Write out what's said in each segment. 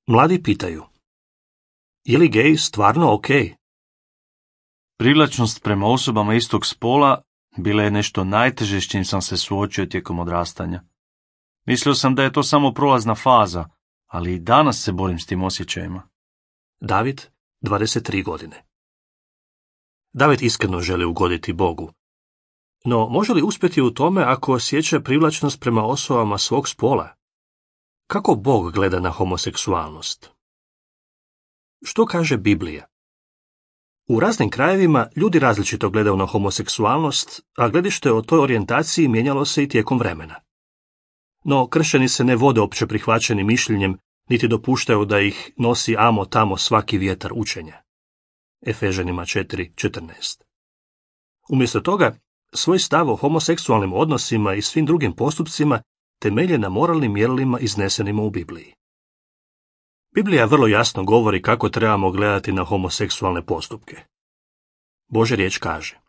Mladi pitaju: je li gej stvarno ok? Privlačnost prema osobama istog spola bila je nešto najteže s čim sam se suočio tijekom odrastanja. Mislio sam da je to samo prolazna faza, ali i danas se borim s tim osjećajima. David, 23 godine. David iskreno želi ugoditi Bogu. No, može li uspjeti u tome ako osjeća privlačnost prema osobama svog spola? Kako Bog gleda na homoseksualnost? Što kaže Biblija? U raznim krajevima ljudi različito gledaju na homoseksualnost, a gledište o toj orijentaciji mijenjalo se i tijekom vremena. No, kršćani se ne vode opće prihvaćenim mišljenjem, niti dopuštaju da ih nosi amo tamo svaki vjetar učenja. Efežanima 4:14. Umjesto toga, svoj stav o homoseksualnim odnosima i svim drugim postupcima temelje na moralnim mjerilima iznesenima u Bibliji. Biblija vrlo jasno govori kako trebamo gledati na homoseksualne postupke. Božja riječ kaže: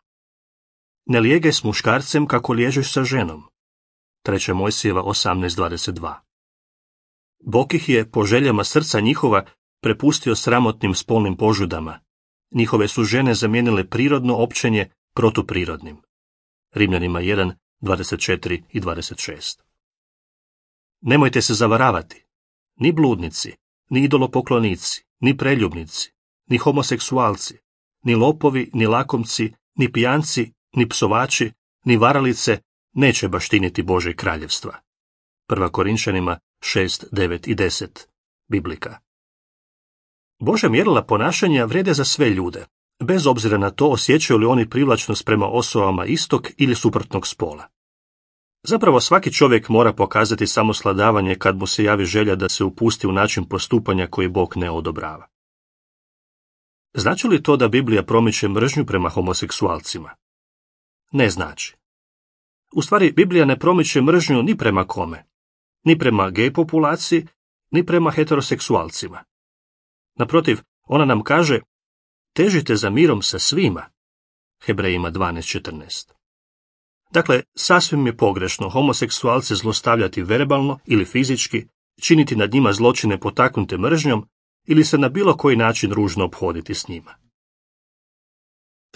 ne lijegaj s muškarcem kako liježeš sa ženom. 3. Mojsijeva 18:22. Bog ih je po željama srca njihova prepustio sramotnim spolnim požudama. Njihove su žene zamijenile prirodno općenje protuprirodnim. Rimljanima 1:24 i 26. Nemojte se zavaravati. Ni bludnici, ni idolopoklonici, ni preljubnici, ni homoseksualci, ni lopovi, ni lakomci, ni pijanci, ni psovači, ni varalice neće baštiniti Božje kraljevstva. 1. Korinčanima 6, 9 i 10. Biblika. Božja mjerila ponašanja vrijede za sve ljude, bez obzira na to osjećaju li oni privlačnost prema osobama istog ili suprotnog spola. Zapravo svaki čovjek mora pokazati samosladavanje kad mu se javi želja da se upusti u način postupanja koji Bog ne odobrava. Znači li to da Biblija promiče mržnju prema homoseksualcima? Ne znači. U stvari, Biblija ne promiče mržnju ni prema kome, ni prema gej populaciji, ni prema heteroseksualcima. Naprotiv, ona nam kaže: težite za mirom sa svima. Hebrejima 12:14. Dakle, sasvim je pogrešno homoseksualce zlostavljati verbalno ili fizički, činiti nad njima zločine potaknute mržnjom ili se na bilo koji način ružno ophoditi s njima.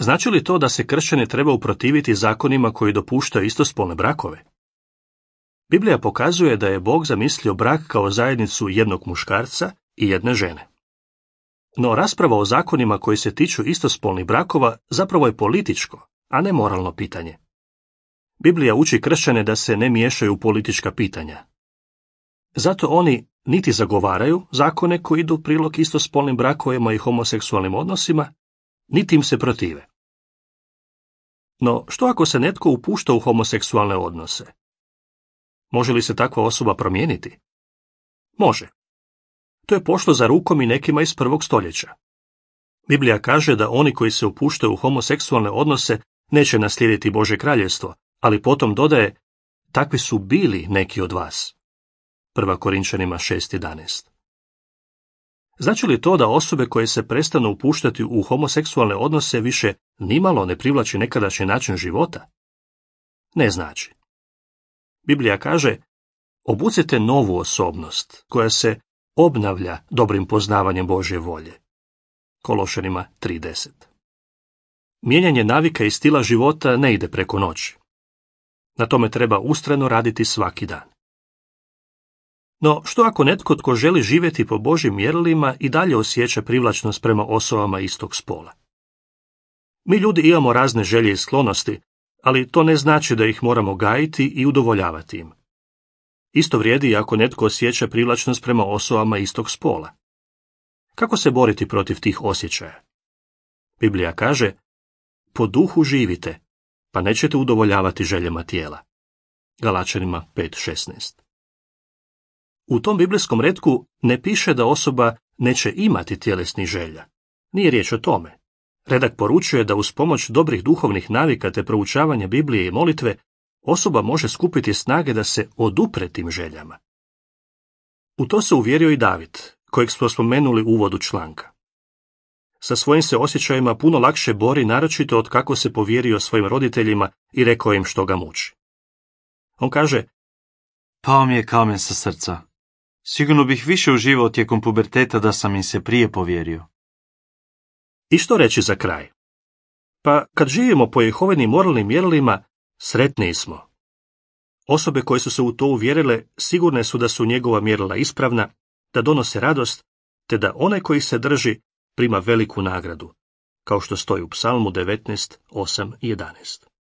Znači li to da se kršćani treba uprotiviti zakonima koji dopuštaju istospolne brakove? Biblija pokazuje da je Bog zamislio brak kao zajednicu jednog muškarca i jedne žene. No rasprava o zakonima koji se tiču istospolnih brakova zapravo je političko, a ne moralno pitanje. Biblija uči kršćane da se ne miješaju u politička pitanja. Zato oni niti zagovaraju zakone koji idu u prilog istospolnim brakovima i homoseksualnim odnosima, niti im se protive. No, što ako se netko upušta u homoseksualne odnose? Može li se takva osoba promijeniti? Može. To je pošlo za rukom i nekima iz 1. stoljeća. Biblija kaže da oni koji se upuštaju u homoseksualne odnose neće naslijediti Božje kraljevstvo, ali potom dodaje: takvi su bili neki od vas. 1. Korinčanima 6:11. Znači li to da osobe koje se prestanu upuštati u homoseksualne odnose više nimalo ne privlači nekadašnji način života? Ne znači. Biblija kaže: obucite novu osobnost koja se obnavlja dobrim poznavanjem Božje volje. Kološanima 3:10. Mijenjanje navika i stila života ne ide preko noći. Na tome treba ustrajno raditi svaki dan. No, što ako netko tko želi živjeti po Božjim mjerilima i dalje osjeća privlačnost prema osobama istog spola? Mi ljudi imamo razne želje i sklonosti, ali to ne znači da ih moramo gajiti i udovoljavati im. Isto vrijedi i ako netko osjeća privlačnost prema osobama istog spola. Kako se boriti protiv tih osjećaja? Biblija kaže: po duhu živite, pa nećete udovoljavati željama tijela. Galačanima 5:16. U tom biblijskom retku ne piše da osoba neće imati tjelesnih želja. Nije riječ o tome. Redak poručuje da uz pomoć dobrih duhovnih navika te proučavanja Biblije i molitve osoba može skupiti snage da se odupre tim željama. U to se uvjerio i David, kojeg smo spomenuli u uvodu članka. Sa svojim se osjećajima puno lakše bori, naročito od kako se povjerio svojim roditeljima i rekao im što ga muči. On kaže: pao mi je kamen sa srca. Sigurno bih više uživao tijekom puberteta da sam im se prije povjerio. I što reći za kraj? Pa kad živimo po Jehovinim moralnim mjerilima, sretniji smo. Osobe koje su se u to uvjerile sigurne su da su njegova mjerila ispravna, da donose radost, te da onaj koji se drži prima veliku nagradu, kao što stoji u Psalmu 19, 8 i 11.